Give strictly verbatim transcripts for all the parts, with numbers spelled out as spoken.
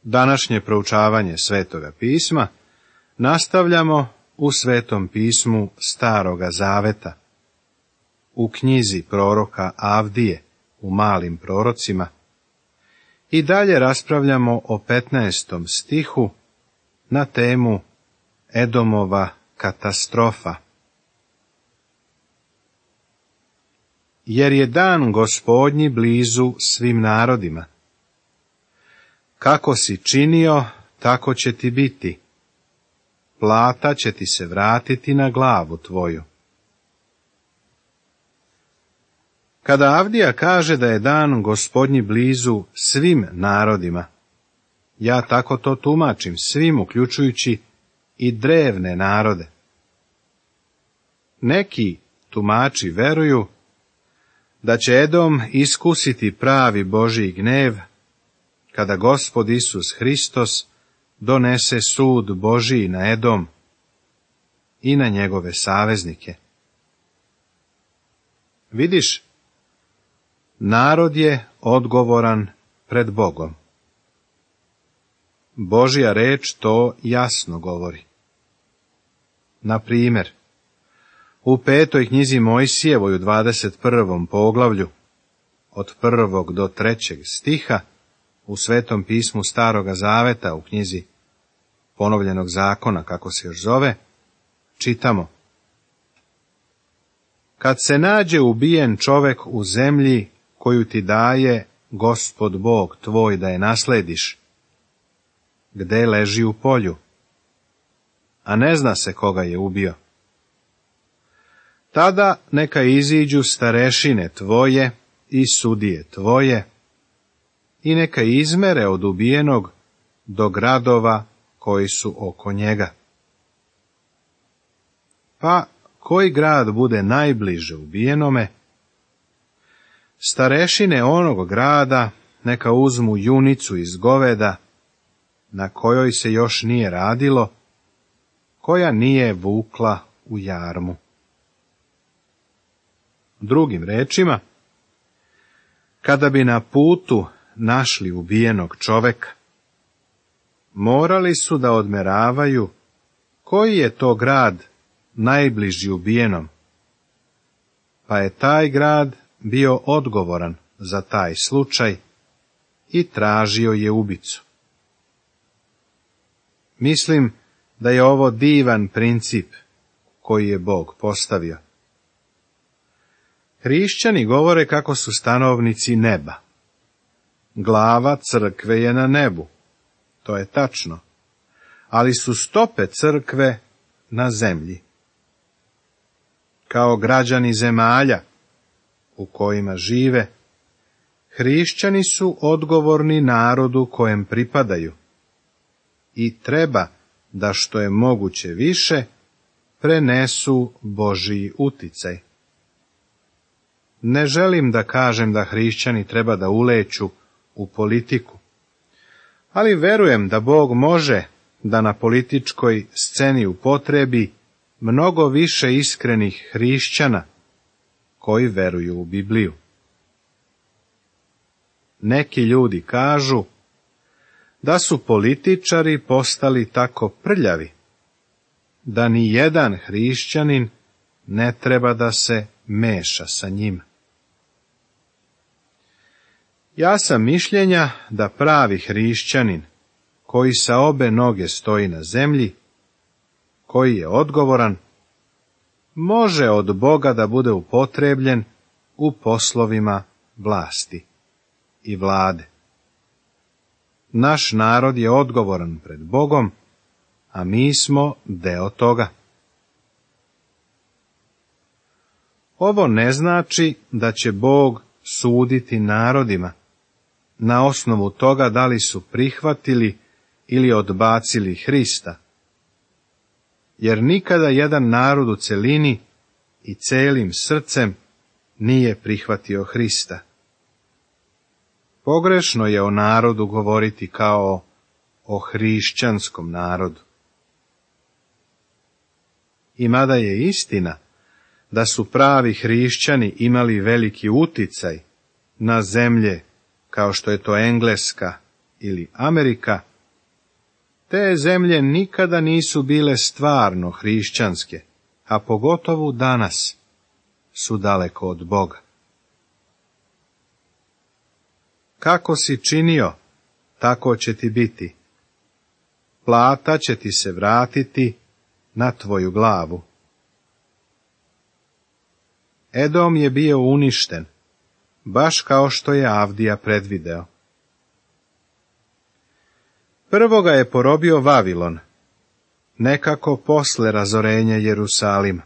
Današnje proučavanje Svetoga pisma nastavljamo u Svetom pismu Staroga Zaveta, u knjizi proroka Avdije, u Malim prorocima, i dalje raspravljamo o petnaestom stihu na temu Edomova katastrofa. Jer je dan Gospodnji blizu svim narodima. Kako si činio, tako će ti biti. Plata će ti se vratiti na glavu tvoju. Kada Avdija kaže da je dan Gospodnji blizu svim narodima, ja tako to tumačim, svim, uključujući i drevne narode. Neki tumači veruju da će Edom iskusiti pravi Božji gnev kada Gospod Isus Hristos donese sud Božji na Edom i na njegove saveznike. Vidiš, narod je odgovoran pred Bogom. Božja reč to jasno govori. Na primjer, u petoj knjizi Mojsijevoj u dvadeset prvom poglavlju, od prvog do trećeg stiha, u Svetom pismu Staroga Zaveta, u knjizi Ponovljenog zakona, kako se još zove, čitamo: Kad se nađe ubijen čovek u zemlji koju ti daje Gospod Bog tvoj da je naslediš, gde leži u polju, a ne zna se koga je ubio, tada neka iziđu starešine tvoje i sudije tvoje i neka izmere od ubijenog do gradova koji su oko njega. Pa koji grad bude najbliže ubijenome, starešine onog grada neka uzmu junicu iz goveda, na kojoj se još nije radilo, koja nije vukla u jarmu. Drugim rečima, kada bi na putu našli ubijenog čoveka, morali su da odmeravaju koji je to grad najbliži ubijenom, pa je taj grad bio odgovoran za taj slučaj i tražio je ubicu. Mislim da je ovo divan princip koji je Bog postavio. Hrišćani govore kako su stanovnici neba. Glava crkve je na nebu, to je tačno, ali su stope crkve na zemlji. Kao građani zemalja u kojima žive, hrišćani su odgovorni narodu kojem pripadaju i treba da što je moguće više prenesu Božji uticaj. Ne želim da kažem da hrišćani treba da uleću u politiku, ali verujem da Bog može da na političkoj sceni upotrebi mnogo više iskrenih hrišćana koji veruju u Bibliju. Neki ljudi kažu da su političari postali tako prljavi da ni jedan hrišćanin ne treba da se meša sa njima. Ja sam mišljenja da pravi hrišćanin, koji sa obe noge stoji na zemlji, koji je odgovoran, može od Boga da bude upotrebljen u poslovima vlasti i vlade. Naš narod je odgovoran pred Bogom, a mi smo deo toga. Ovo ne znači da će Bog suditi narodima na osnovu toga da li su prihvatili ili odbacili Hrista, jer nikada jedan narod u celini i celim srcem nije prihvatio Hrista. Pogrešno je o narodu govoriti kao o hrišćanskom narodu. I mada je istina da su pravi hrišćani imali veliki uticaj na zemlje kao što je to Engleska ili Amerika, Te zemlje nikada nisu bile stvarno hrišćanske, a pogotovo danas su daleko od Boga. Kako si činio, tako će ti biti. Plata će ti se vratiti na tvoju glavu. Edom je bio uništen, baš kao što je Avdija predvideo. Prvo ga je porobio Vavilon, nekako posle razorenja Jerusalima.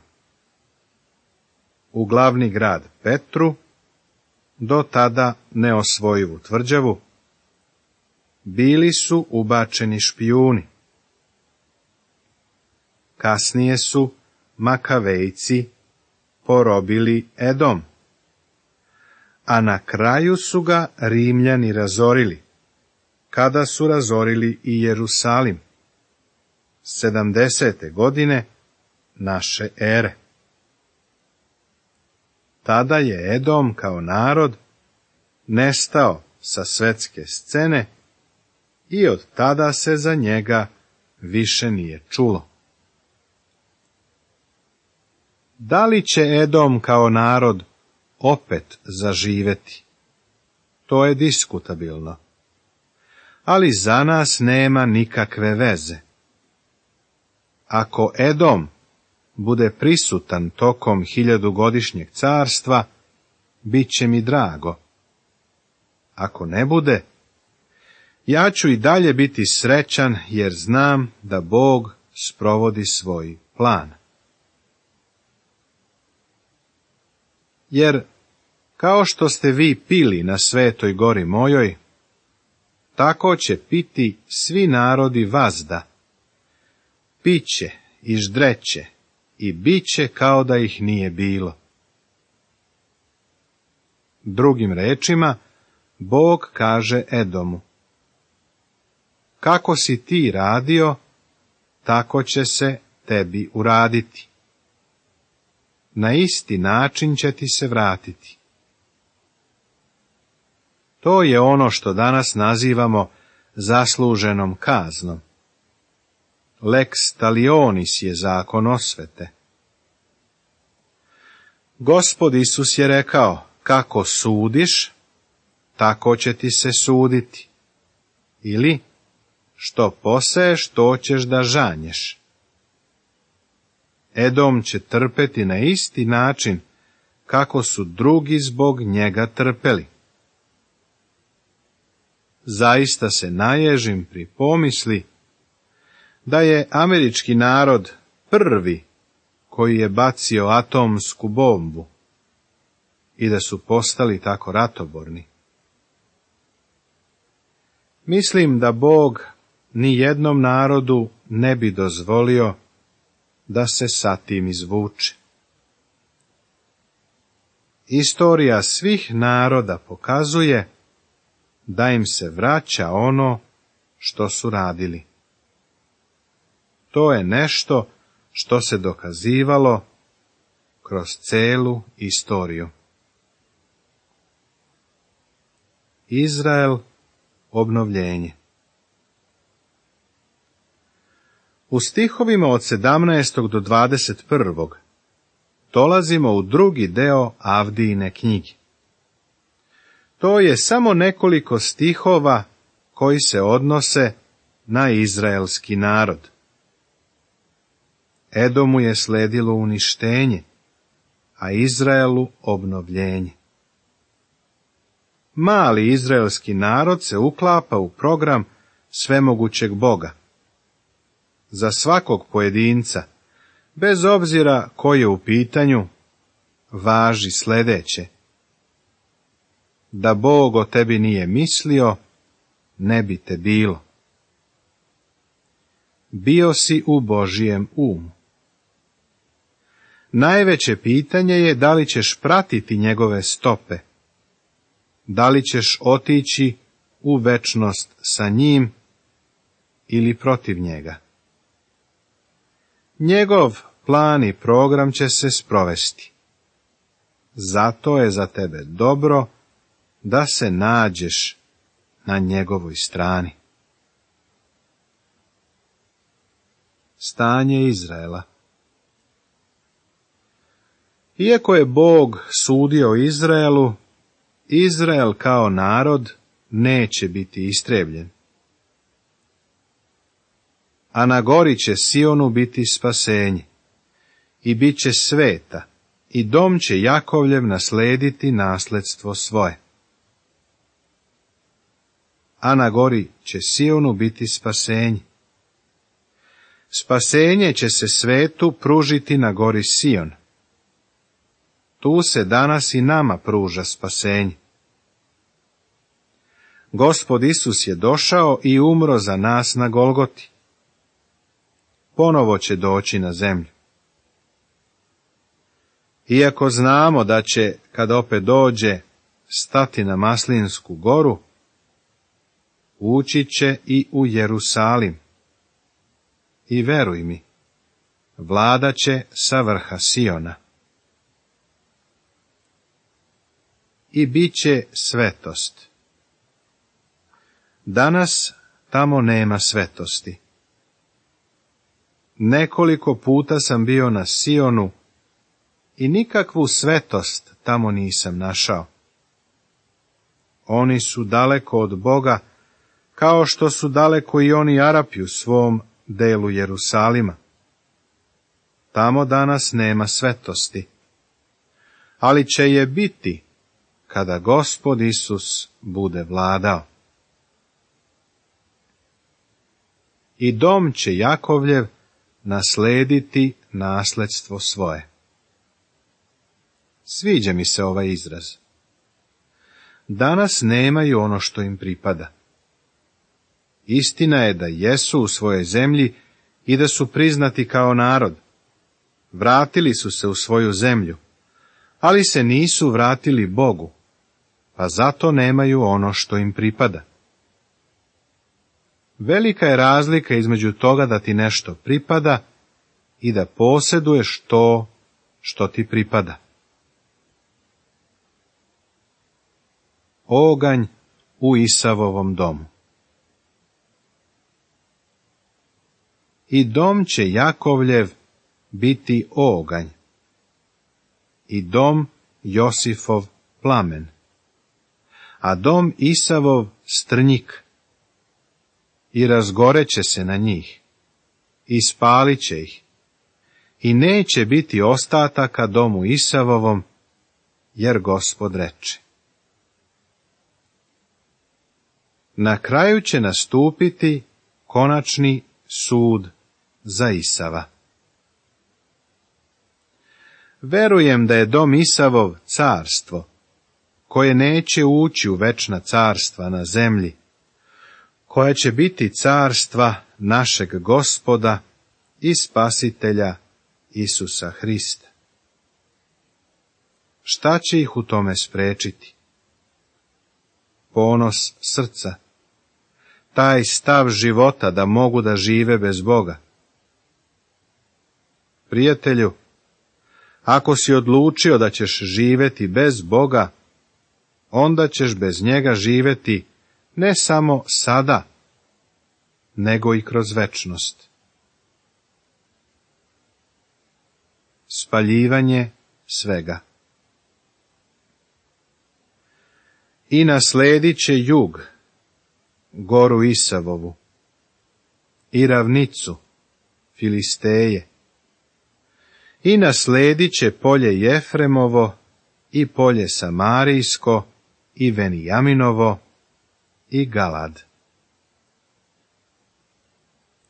U glavni grad Petru, do tada neosvojivu tvrđavu, bili su ubačeni špijuni. Kasnije su Makavejci porobili Edom, a na kraju su ga Rimljani razorili, kada su razorili i Jerusalim, sedamdesete godine naše ere. Tada je Edom kao narod nestao sa svetske scene i od tada se za njega više nije čulo. Da li će Edom kao narod opet zaživeti? To je diskutabilno, ali za nas nema nikakve veze. Ako Edom bude prisutan tokom hiljadugodišnjeg carstva, bit će mi drago. Ako ne bude, ja ću i dalje biti srećan, jer znam da Bog sprovodi svoj plan. Jer, kao što ste vi pili na svetoj gori mojoj, tako će piti svi narodi vazda. Piće i ždreće i biće kao da ih nije bilo. Drugim rečima, Bog kaže Edomu: kako si ti radio, tako će se tebi uraditi. Na isti način će ti se vratiti. To je ono što danas nazivamo zasluženom kaznom. Lex talionis je zakon osvete. Gospod Isus je rekao: kako sudiš, tako će ti se suditi. Ili, što poseješ, to ćeš da žanješ. Edom će trpeti na isti način kako su drugi zbog njega trpeli. Zaista se naježim pri pomisli da je američki narod prvi koji je bacio atomsku bombu i da su postali tako ratoborni. Mislim da Bog ni jednom narodu ne bi dozvolio da se sa tim izvuče. Istorija svih naroda pokazuje da im se vraća ono što su radili. To je nešto što se dokazivalo kroz celu istoriju. Izrael, obnovljenje. U stihovima od sedamnaestog do dvadeset prvog dolazimo u drugi deo Avdijine knjige. To je samo nekoliko stihova koji se odnose na izraelski narod. Edomu je sledilo uništenje, a Izraelu obnovljenje. Mali izraelski narod se uklapa u program svemogućeg Boga. Za svakog pojedinca, bez obzira ko je u pitanju, važi sledeće: da Bog o tebi nije mislio, ne bi te bilo. Bio si u Božijem umu. Najveće pitanje je da li ćeš pratiti njegove stope, da li ćeš otići u večnost sa njim ili protiv njega. Njegov plan i program će se sprovesti. Zato je za tebe dobro da se nađeš na njegovoj strani. stanje Izraela. Iako je Bog sudio Izraelu, Izrael kao narod neće biti istrebljen. A na gori će Sionu biti spasenje, i bit će sveta, i dom će Jakovljev naslediti nasledstvo svoje. A na gori će Sionu biti spasenje. Spasenje će se svetu pružiti na gori Sion. Tu se danas i nama pruža spasenje. Gospod Isus je došao i umro za nas na Golgoti. Ponovo će doći na zemlju. Iako znamo da će, kad opet dođe, stati na Maslinsku goru, ući će i u Jerusalim. I veruj mi, vladat će sa vrha Siona. I bit će svetost. Danas tamo nema svetosti. Nekoliko puta sam bio na Sionu i nikakvu svetost tamo nisam našao. Oni su daleko od Boga, kao što su daleko i oni Arapi u svom delu Jerusalima. Tamo danas nema svetosti, ali će je biti kada Gospod Isus bude vladao. I dom će Jakovljev naslediti nasledstvo svoje. Sviđa mi se ovaj izraz. Danas nemaju ono što im pripada. Istina je da jesu u svojoj zemlji i da su priznati kao narod. Vratili su se u svoju zemlju, ali se nisu vratili Bogu, pa zato nemaju ono što im pripada. Velika je razlika između toga da ti nešto pripada i da posjeduješ to što ti pripada. Oganj u Isavovom domu. I dom će Jakovljev biti oganj, i dom Josifov plamen, a dom Isavov strnjik, i razgoreće se na njih, i spalit će ih, i neće biti ostataka domu Isavovom, jer Gospod reče. Na kraju će nastupiti konačni sud za Isava. Verujem da je dom Isavov carstvo, koje neće ući u večna carstva na zemlji, koja će biti carstva našeg Gospoda i Spasitelja Isusa Hrista. Šta će ih u tome sprečiti? Ponos srca, taj stav života da mogu da žive bez Boga. Prijatelju, ako si odlučio da ćeš živjeti bez Boga, onda ćeš bez njega živjeti ne samo sada, nego i kroz večnost. Spaljivanje svega. I nasledit će jug, goru Isavovu, i ravnicu, Filisteje, i nasledit će polje Jefremovo, i polje Samarijsko, i Venijaminovo, i Galad.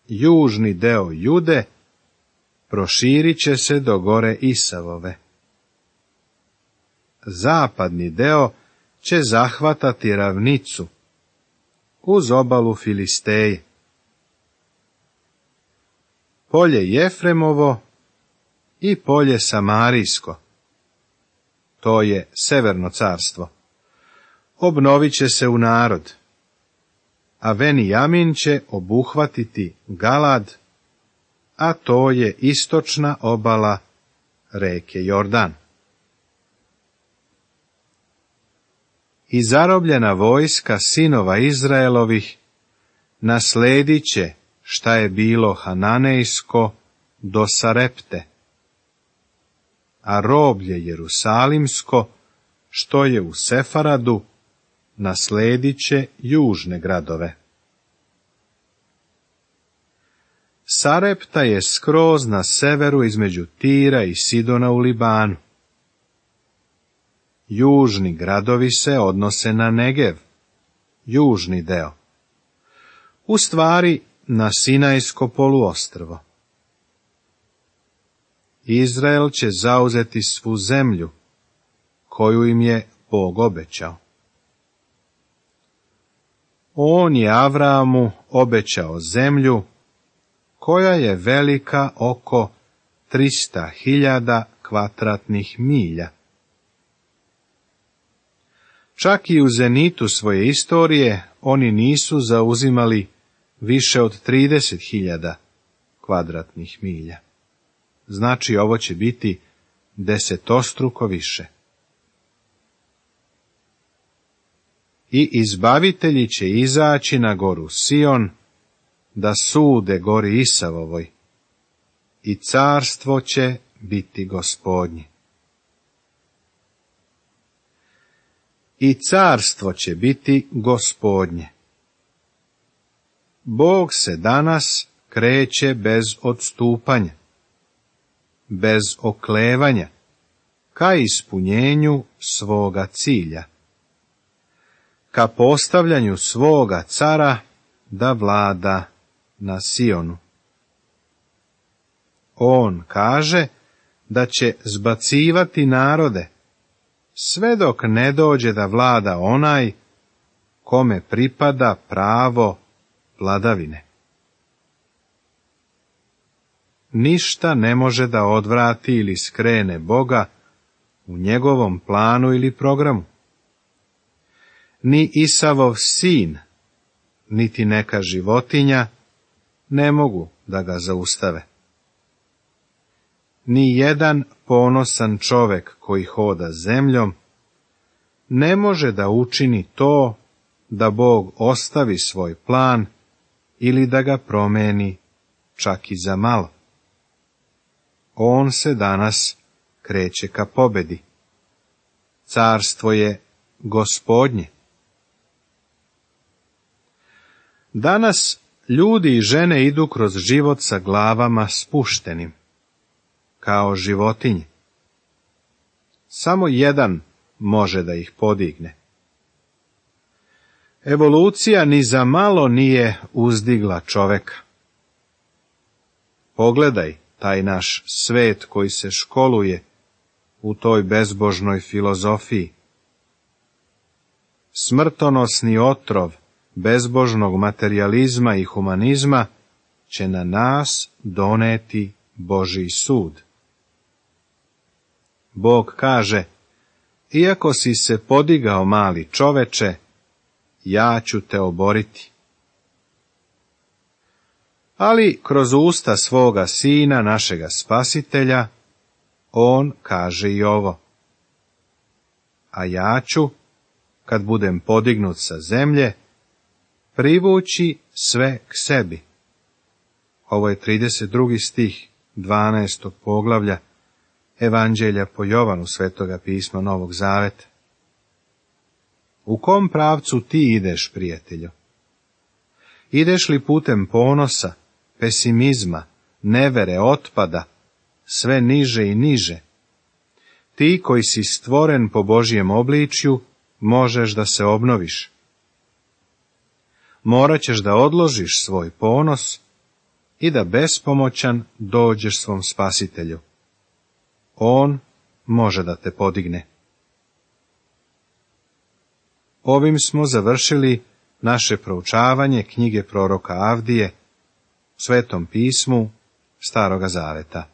Južni deo Jude proširit će se do gore Isavove. Zapadni deo će zahvatati ravnicu uz obalu Filisteje. Polje Jefremovo i polje Samarijsko, to je severno carstvo, obnovit će se u narod, a Venijamin će obuhvatiti Galad, a to je istočna obala reke Jordan. I zarobljena vojska sinova Izraelovih nasledit će šta je bilo hananejsko do Sarepte, a roblje jerusalimsko, što je u Sefaradu, nasledit će južne gradove. Sarepta je skroz na severu između Tira i Sidona u Libanu. Južni gradovi se odnose na Negev, južni deo. U stvari na Sinajsko poluostrvo. Izrael će zauzeti svu zemlju, koju im je Bog obećao. On je Avramu obećao zemlju, koja je velika oko trista hiljada kvadratnih milja. Čak i u zenitu svoje istorije oni nisu zauzimali više od trideset hiljada kvadratnih milja. Znači, ovo će biti desetostruko više. I izbavitelji će izaći na goru Sion, da sude gori Isavovoj, i carstvo će biti Gospodnje. I carstvo će biti Gospodnje. Bog se danas kreće bez odstupanja, bez oklevanja, ka ispunjenju svoga cilja, ka postavljanju svoga cara da vlada na Sionu. On kaže da će zbacivati narode, sve dok ne dođe da vlada onaj kome pripada pravo vladavine. Ništa ne može da odvrati ili skrene Boga u njegovom planu ili programu. Ni Isavov sin, niti neka životinja ne mogu da ga zaustave. Ni jedan ponosan čovek koji hoda zemljom ne može da učini to da Bog ostavi svoj plan ili da ga promeni čak i za malo. On se danas kreće ka pobedi. Carstvo je Gospodnje. Danas ljudi i žene idu kroz život sa glavama spuštenim, kao životinje. Samo jedan može da ih podigne. Evolucija ni za malo nije uzdigla čoveka. Pogledaj taj naš svet koji se školuje u toj bezbožnoj filozofiji. Smrtonosni otrov bezbožnog materijalizma i humanizma će na nas doneti Božji sud. Bog kaže, iako si se podigao mali čoveče, ja ću te oboriti. Ali kroz usta svoga sina, našega spasitelja, on kaže i ovo. A ja ću, kad budem podignut sa zemlje, privući sve k sebi. Ovo je trideset drugi stih dvanaestog poglavlja Evanđelja po Jovanu, Svetoga pisma Novog Zaveta. U kom pravcu ti ideš, prijatelju? Ideš li putem ponosa, pesimizma, nevere, otpada, sve niže i niže? Ti koji si stvoren po Božjem obličju, možeš da se obnoviš. Morat ćeš da odložiš svoj ponos i da bespomoćan dođeš svom spasitelju. On može da te podigne. Ovim smo završili naše proučavanje knjige proroka Avdije u Svetom pismu Staroga Zaveta.